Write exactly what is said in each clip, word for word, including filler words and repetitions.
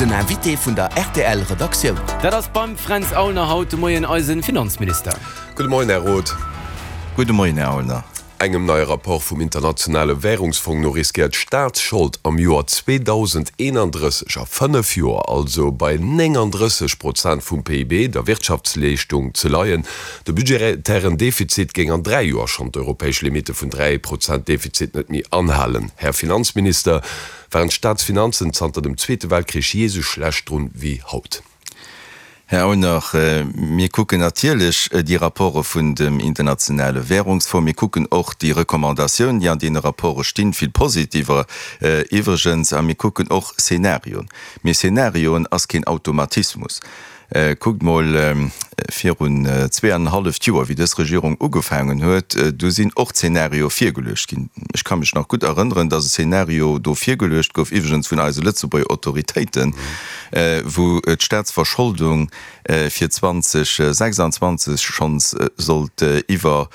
Den Invité vun der R T L Redaktioun. Dat ass beim Fränz Aulner haut de Moien eisen Finanzminister. Gudde Moien, Här Roth. Gudde Moien, Här Aulner. Engem neie Rapport vum Internationale Wärungsfong no riskéiert d'Staatsschold am Joer zweedausendeenandrësseg, a fënnef Joer also, bei néngandrësseg Prozent vum P I B, der Wirtschaftsleeschtung, ze leien. De budgetären Defizit géing an dräi Joer schonn d'europäesch Limitte vun dräi Prozent Defizit net méi anhalen. Här Finanzminister, waren d'Staatsfinanzen zanter dem Zweete Weltkrich jee sou schlecht drun wéi haut? Här Aulner, mir kucken natierlech déi Rapporte vun dem Internationale Währungsfonds. Mir kucken och déi Recommandatiounen, déi an deene Rapporte stinn, vill positiver iwwregens, a mir kucken och Szenarioen. Mee Szenarioen ass keen Automatismus. Kuckt mol virun zwee an en halleft Joer, wéi dës Regierung ugefaangen huet, do sinn och Zeenario virgeluecht ginn. Ech ka mech nach gutt erënneren, dass e Zeenario do virgeluecht gouf, iwwregens vun eise Lëtzebuerger Autoritéiten, wou d'Staatsverscholdung fir zweedausendsechsanzwanzeg schonns sollt iwwer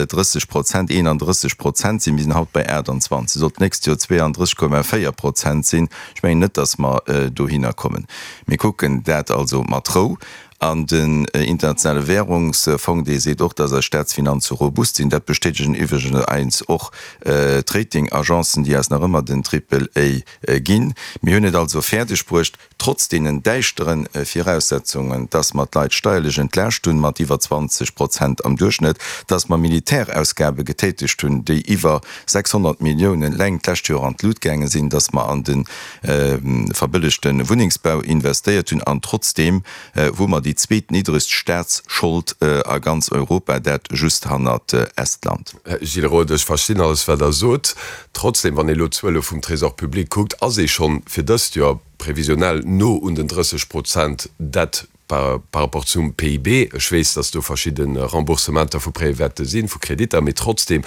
drësseg Prozent, eenandrësseg Prozent sinn. Mir sinn haut bei aachtanzwanzeg. Sollt d'nächst Joer zweeandrësseg Komma véier Prozent sinn. Ech mengen net, dass mer dohinner kommen. Mir kucken dat also mat Rou. An den Internationale Währungsfong, dee seet och, dass eis Staatsfinanze robust sinn. Dat bestätegen iwwregens och d'Ratingagencen, déi eis nach ëmmer den Triple A ginn. Mir hunn et also fäerdeg bruecht, trotz deenen däischtere Viraussetzungen, dass mer d'Leit steierlech entlaascht hunn mat iwwer zwanzeg Prozent am Duerchschnëtt, dass mer Militärausgabe getätegt hunn, déi iwwer sechshonnert Milliounen eleng d'lescht Joer an d'Lut gaange sinn, dass mer an de verbëllegte Wunnengsbau investéiert hunn an trotzdeem hu mer déi zweetniddregst Staatsschold a ganz Europa, dat just hannert Estland. Här Gilles Roth, ech verstinn alles, wat Der sot. Trotzdeem, wann ee elo d'Zuele vum Trésor public kuckt, ass ee schonn fir dëst Joer previsionell no un den drësseg Prozent Dette par rapport zum P I B. Ech weess, dass do verschidde Remboursementer vu Prêtë wäerte sinn, vu Kreditter, mee trotzdeem,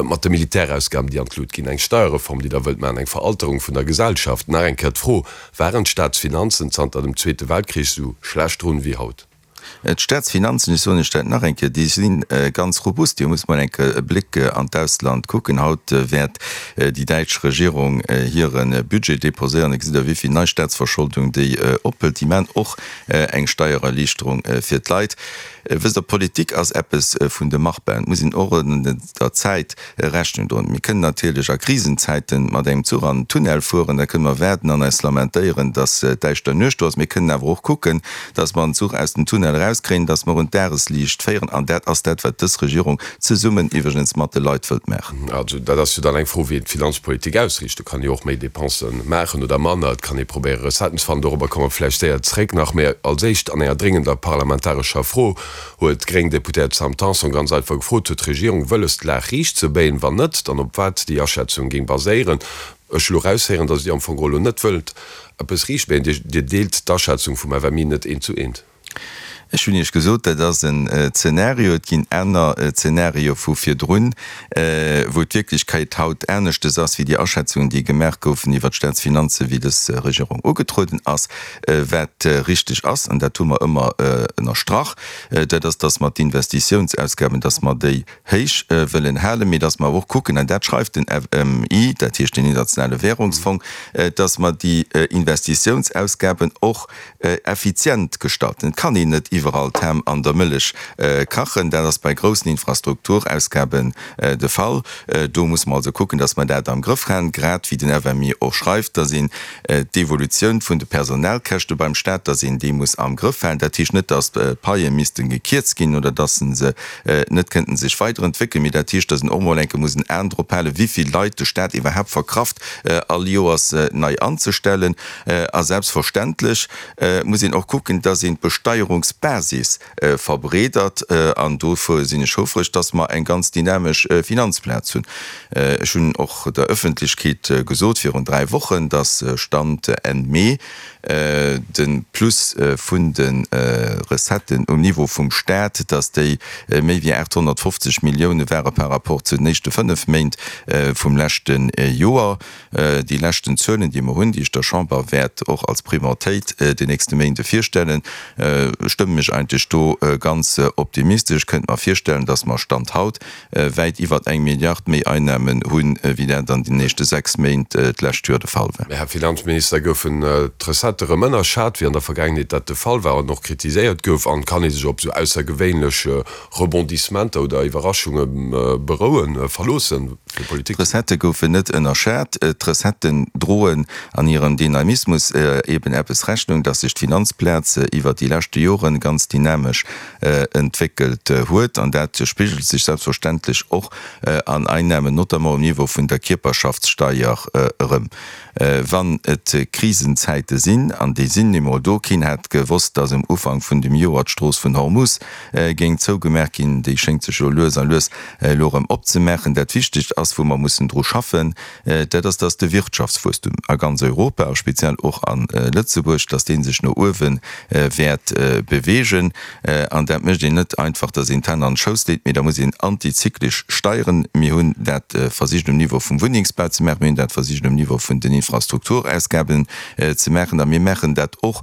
mat de Militärausgaben, déi an d'Lut ginn, eng Steierreform, déi Der wëllt maachen, eng Veralterung vun der Gesellschaft. Nach eng Kéier d'Fro, Waren d'Staatsfinanzen zanter dem Zweete Weltkrich esou schlecht drun wéi haut? D'Staatsfinanzen, ech soen lech dat nach eng Kéier, déi si ganz robust. Dir musst mol eng Kéier e Bléck an d'Ausland kucken. Haut wäert déi däitsch Regierung hire Budget deposéieren. Da gesitt Der, wéi vill nei Staatsverscholdung déi ophëlt. Déi maachen och eng Steiererliichterung fir d'Leit. Wësst Der, Politik ass eppes vun de Machbaren. Et muss een och der Zäit Rechnung droen. Mir kënnen natierlech a Krisenzäite mat engem Zuch an den Tunnel fueren. Da kënne mer waarden an eis lamentéieren, datt däischter Nuecht do ass. Mir kënnen awer och kucken, datt mer den Zuch aus dem Tunnel erauskréien, datt mer un d'Dagesliicht féieren. An dat ass dat, wat dës Regierung zesummen iwwregens mat de Leit wëllt maachen. Also dat ass jo dann eng Fro, wéi een d'Finanzpolitik ausriicht. Do kann ee jo och méi Dépensë maachen oder manner. Et kann ee probéiere Recetten ze fannen. Dorobber komme mer vläicht séier zréck nach. Mä als éischt, an enger dréngender parlamentarescher Fro huet d'gréng Deputéiert Sam Tanson ganz einfach gefrot, Huet d'Regierung wëlles, d'Lag riicht ze béien? Wann net, dann op wat déi Aschätzung géing baséieren? Ech hu lo eraushéieren, datt Dir am Fong geholl elo net wëllt eppes riicht béien. Dir deelt d'Aschätzung vum F M I net eent zu eent. Ech hunn Iech gesot, dat ass en Zenario, et ginn aner Zenario vu virdrun, wou d'Wierklechkeit haut aneschtes ass wéi déi Aschätzungen, déi gemaach goufen iwwert d'Staatsfinanzen, wéi dës Regierung ugetrueden ass. Wat richteg ass, an dat hu mer ëmmer ënnerstrach, dat ass, dass mer d'Investitiounsausgaben, dass mer déi héich wëllen halen, mee dass mer awer och kucken, an dat schreift den F M I, dat heescht den Internationale Währungsfong, dass mer déi Investitiounsausgaben och effizient gestalten. Et kann een net iwwerall d'Ham an der Mëllech kachen. Dat ass bei groussen Infrastrukturausgaben de Fall. Do musse mer also kucken, dass mer dat am Grëff han, grad wéi den F M I och schreift, dass een d'Evolutioun vun de Personalkäschte beim Stat, dass een déi muss am Grëff halen. Dat heescht net, dass d'Paie misste gekierzt ginn oder dass se net kënnten sech weiderentwéckelen, mee dat heescht, dass een och mol eng Kéier muss en Aen drop halen, wéi vill Leit de Stat iwwerhaapt verkraft, all Joers nei anzestellen. A selbstverständlech muss een och kucken, dass een d'Besteierungsbasis verbreedert. An dofir sinn ech houfreg, dass mer eng ganz dynamesch Finanzplaz hunn. Ech hunn och der Ëffentlechkeet gesot virun dräi Wochen, dass Stand Enn Mee de Plus vun de Recetten um Niveau vum Stat, dass déi méi wéi aathonnertfofzeg Millioune ware par rapport zu den éischte fënnef Méint vum leschte Joer. Déi leschten Zuelen, déi mer hunn, déi ech der Chamber wäert och als Prioritéit den nächste Méinde virstellen, stëmme mech eigentlech do ganz optimistesch. Ech kënnt mer virstellen, datt mer Stand haut wäit iwwert eng Milliard méi Einnamen hunn, wéi dat an den éischte sechs Méint d'lescht Joer de Fall war. Här Finanzminister, goufen d'Recettë rëm ënnerschat, wéi an der Vergaangenheet dat de Fall war an och kritiséiert gouf? An kann ee sech op esou aussergewéinlech Rebondissementer oder Iwwerraschunge berouen, verloossen fir Politik ze maachen? D'Recettë goufen net ënnerschat. D'Recetten droen an hirem Dynamismus eben eppes Rechnung, dass sech d'Finanzplaz iwwert déi leschte Joren ganz dynamesch entwéckelt huet. An dat spigelt sech selbstverständlech och an Einnahmen, notamment um Niveau vun der Kierperschaftssteier erëm. Wann et Krisenzäite sinn, an déi sinn emol do, keen hat gewosst, dass um Ufank vun dem Joer d'Strooss vun Hormuz géing zougemaach ginn, déi schéngt sech jo lues a lues elo erëm opzemaachen. Dat Wichtegst ass, wou mer mussen dru schaffen, dat ass, dass de Wirtschaftswuesstum a ganz Europa a speziell och a Lëtzebuerg, dass dee sech no uewe wäert beweegen. An dat mécht een net einfach, dass een d'Hänn an d'Schouss leet, mee da muss een antizyklesch steieren. Mir hunn dat versicht um Niveau vum Wunnengsbau ze maachen, mir hunn dat versicht um Niveau vun den Infrastrukturausgaben ze maachen a mir maachen dat och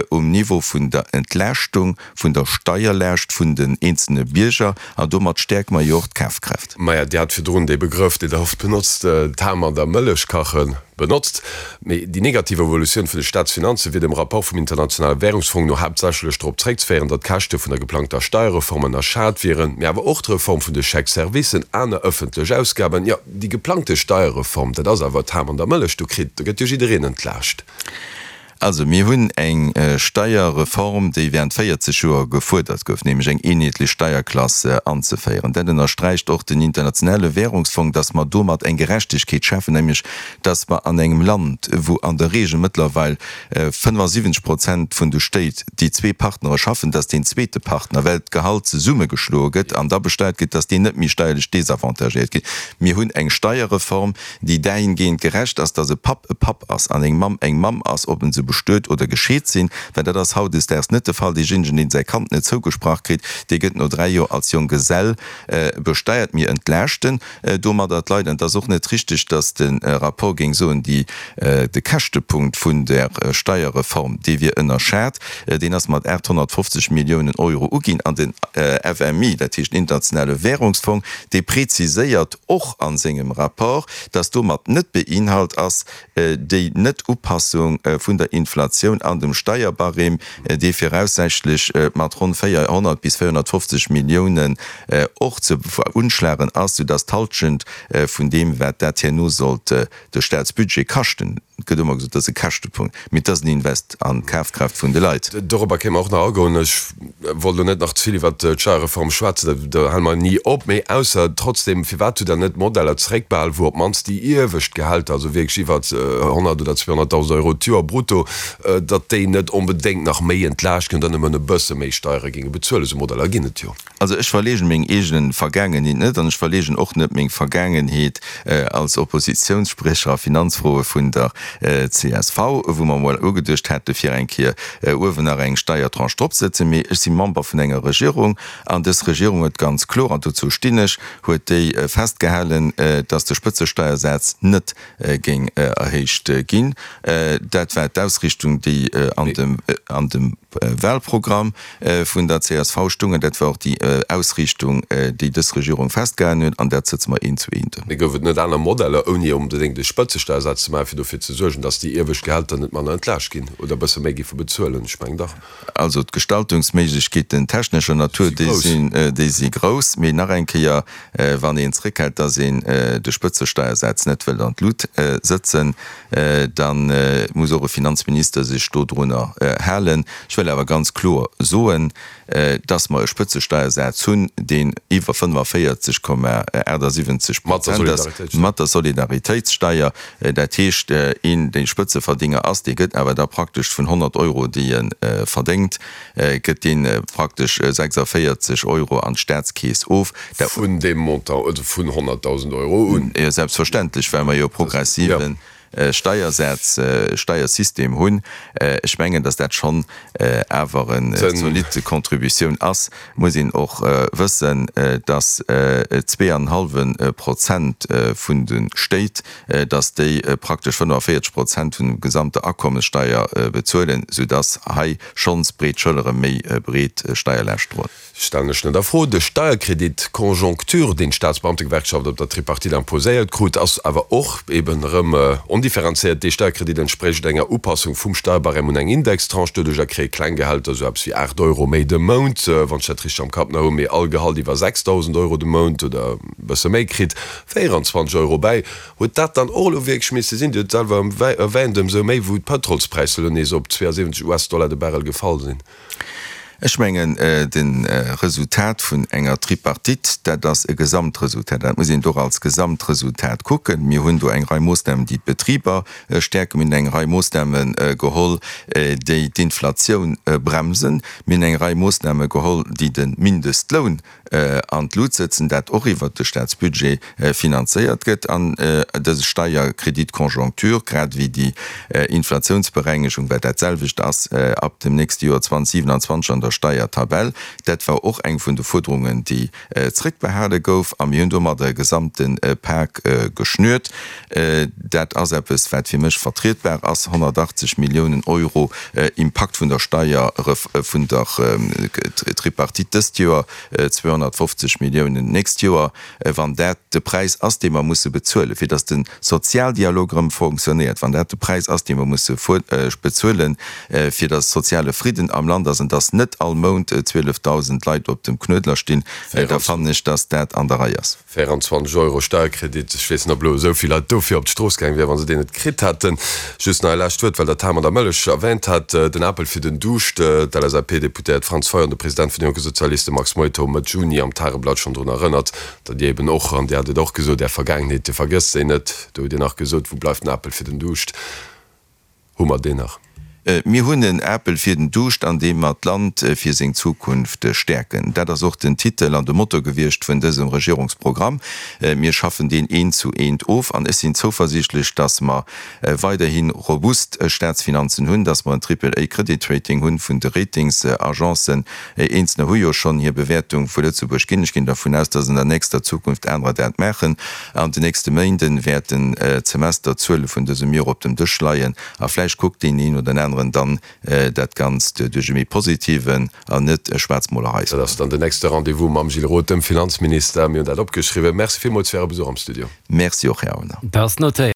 um Niveau vun der Entlaaschtung vun der Steierlaascht vun den eenzelne Bierger an domat stäerke mer jo och d'Kafkraaft. Maja, Dir hat virdrun dee Begrëff, deen Der oft benotzt, d'Ham an der Mëllech kachen, benotzt. Mee déi negativ Evolutioun vun de Staatsfinanze wier dem Rapport vum Internationale Währungsfong no haaptsächlech drop zréckzeféieren, datt d'Käschte vun der geplangter Steierreform ënnerschat wieren, mee awer och d'Reform vun de Chèques-servicen, aner ëffentlech Ausgaben. Jo, déi geplangte Steierreform, dat ass awer d'Ham an der Mëllech, do kritt, do gëtt jo jiddereen entlaascht. Also mir hunn eng Steierreform, déi während véierzeg Joer gefuerdert gouf, nämlech eng eenheetlech Steierklass anzeféieren. Dat ënnersträicht och den Internationale Währungsfong, dass mer domat eng Gerechtegkeet schafen, nämlech dass mer an engem Land, wou an der Regel mëttlerweil fënnefasiwwenzeg Prozent vun de Stéit déi zwee Partnere schaffen, dass deen zweete Partner, well d'Gehalt zesummegeschloe gëtt an da besteiert gëtt, dass deen net méi steierlech désavantagéiert gëtt. Mir hunn eng Steierreform, déi dahingehend gerecht ass, dass e Papp e Papp ass an eng Mamm eng Mamm ass, ob en se bestuet oder gescheet sinn, well dat ass hautdesdaags net de Fall. Deejéinegen, deen säi Kand net zougesprach kritt, dee gëtt no dräi Joer als Jonggesell besteiert. Mir entlaaschten domadder d'Leit. An et ass och net richtig, dass de Rapport géing soen, déi, de Käschtepunkt vun der Steierreform, dee wier ënnerschat. Deen ass mat aathonnertfofzeg Milliounen Euro uginn. An den F M I, dat heescht den Internationale Währungsfong, dee preziséiert och a sengem Rapport, dass domat net beinhalt ass déi Net-Upassung vun der Inflatioun an dem Steierbarème, dee viraussächlech mat ronn véierhonnert bis véierhonnertfofzeg Milliounen och ze veunschlagen ass, soudass d'Halschent vun deem, wat dat herno sollt de Staatsbudget kaschten, et gëtt ëmmer gesot, dat ass e Käschtepunkt, mee et ass en Invest an d'Kafkraaft vun de Leit. Dorobber kéime mer och nach agoen. Ech wollt elo net nach ze vill iwwert d'Steierreform schwätzen, do hale mer ni op. Mee ausser trotzdem, firwat hutt Der net Modeller zeréckbehal, wou op d'mannst déi iewescht Gehälter, also wierklech iwwert honnert oder zweehonnertdausend Euro d'Joer brutto, datt déi net onbedéngt nach méi entlaascht ginn oder nëmmen e bësse méi Steiere géinge bezuelen? Esou Modeller ginn et jo. Also ech verleegen meng eegen Vergaangenheet net an ech verleegen och net meng Vergaangenheet als Oppositionssprecher a Finanzfroe vun der C S V, wou mer emol ugeduecht hate fir eng Kéier uewen nach eng Steiertranche dropzesetzen. Mee ech si Member vun enger Regierung an dës Regierung huet ganz kloer, an dozou stinn ech, huet déi festgehalen, dass de Spëtzesteiersaz net géing erhéicht ginn. Dat war d'Ausrichtung, déi an dem an dem Wahlprogramm vun der C S V stoungen. Dat war och déi Ausriichtung, déi dës Regierung festgehalen huet, an dat sëtze mer eent zu eent ëm. Mee gouf et net aner Modeller, ouni onbedéngt de Spëtzesteiersaz ze maachen, fir dofir ze suergen, datt déi iewescht Gehälter net manner entlaascht ginn oder e bësse méi géife bezuelen? Ech mengen dach. Also d'Gestaltungsméiglechkeeten technescher Natur, déi sinn, déi si grouss. Mee nach eng Kéier, wann een zréckhält, datt een de Spëtzesteiersaz net wëllt an d'Lut sëtzen, da muss och e Finanzminister sech dodrunner halen. Ech wëll awer ganz kloer soen, dass mer e Spëtzesteiersaz hunn, deen iwwer fënnefenvéierzeg Komma achtasiwwenzeg Prozent ass, mat der Solidaritéitssteier. Dat heescht, een, dee Spëtzeverdinger ass, dee gëtt awer da praktesch vun honnert Euro, déi e verdéngt, gëtt dee praktesch sechsavéierzeg Euro an d'Staatskeess of. Vun deem Montant, also vun honnertdausend Euro un? Jo, selbstverständlech, well mer jo progressiven. Steiersaz, Steiersystem hunn. Ech mengen, datt dat schonn awer en zolidd Contributioun ass. Muss een och wëssen, datt zwee an en hallwe Prozent vun de Stéit, datt déi praktesch fënnefaféierzeg Prozent vun dem gesamte Akommessteier bezuelen, soudatt hei schonns breet Schëllere méi breet Steierlaascht droen. Stellen ech net a Fro. De Steierkredit Conjoncture, deen d'Staatsbeamtegewerkschaft op der Tripartite imposéiert krut, ass awer och eben erëm ondifferenzéiert. Dee Steierkredit entsprécht enger Upassung vum Steierbarème un eng Indextranche. Doduercher kréie kleng Gehälter esou eppes wéi aacht Euro méi de Mount, wann ech dat richteg am Kapp nach hunn, mee all Gehalt iwwer sechsdausend Euro de Mount oder e bësse méi kritt véierundzwanzeg Euro bäi. Huet dat dann och elo wierklech misse sinn? Dir hutt et selwer erwähnt, ëmsou méi wou d'Pëtrolspräisser elo nees op zweeënsiwwenzeg US-Dollar de Barrel gefall sinn. Ech mengen, de Resultat vun enger Tripartite, dat ass e Gesamtresultat. Dat muss een och als Gesamtresultat kucken. Mir hunn do eng Rei Moossnamen, déi d'Betriber stäerken. Mir hunn eng Rei Moossname geholl, déi d'Inflatioun bremsen. Mir hunn eng Rei Moossname geholl, déi de Mindestloun an d'Lut sëtzen, dat och iwwert de Staatsbudget finanzéiert gëtt, an dëse Steierkredit Conjoncture, grad ewéi déi Inflatiounsberengegung, wat dat selwecht ass ab dem nächste Joer zweitausendsiewenundzwanzeg an der Steiertabell. Dat war och eng vun de Fuerderungen, déi zrëckbehale gouf, a mir hunn domadder e gesamte Pak geschnürt. Dat ass eppes, wat fir mech vertrietbar ass, honnertachtzeg Milliounen Euro Impakt vun der Steier, vun der Tripartite dëst Joer, zweehonnertfofzeg Milliounen d'nächst Joer, wann dat de Präis ass, dee mer musse bezuelen, fir datt de Sozialdialog erëm fonctionnéiert, wann dat de Präis ass, dee mer musse bezuelen, fir datt soziale Fridden am Land ass an datt net all Mount zwielefdausend Leit op dem Knuedler stinn, da fannen ech, datt dat an der Rei ass. véierundzwanzeg Euro Steierkredit, ech weess net, ob elo esou vill Leit dofir op d'Strooss gaang wieren, wa se deen net kritt hätten. Just nach e lescht Wuert, well Der d'Ham an der Mëllech erwähnt hat, Den Apel fir den Duuscht, D'LSAP-Deputéiert Franz Fayot an de President vun de Jonke Sozialiste Max Meuth hu Mëtt Juni am Tageblatt schonn drun erënnert, datt Dir eben och, an Dir hat et och gesot, Är Vergaangenheet, Dir vergësst se net. Do hutt Dir nach gesot, Wou bleift den Apel fir den Duuscht? Hu mer deen nach? Mir hunn en Apel fir den Duuscht, an deem mer d'Land fir seng Zukunft stäerken. Dat ass och den Titel an de Motto gewiescht vun dësem Regierungsprogramm. Mir schaffen deen eent zu eent of an ech sinn zouversiichtlech, dass mer weiderhi robust Staatsfinanzen hunn, dass mer en Triple-A-Kreditrating hunn vun de Ratingsagencen. Eenzelner hu jo schonn hir Bewäertung vu Lëtzebuerg ginn. Ech ginn dervun aus, dass an der nächster Zukunft anerer dat maachen. An den nächste Méinde wäerten d'Semesterzuele vun dësem Joer op dem Dësch leien a vläicht kuckt deen een oder aneren dann dat Ganzt duerch e méi positiven an net Schwaarzmolerei. Dat ass dann den nächste Rendez-vous mam Gilles Roth, dem Finanzminister. Mir hunn dat opgeschriwwen. Merci villmools fir Äre Besuch am Studio. Merci och, Här Aulner. Dat ass notéiert.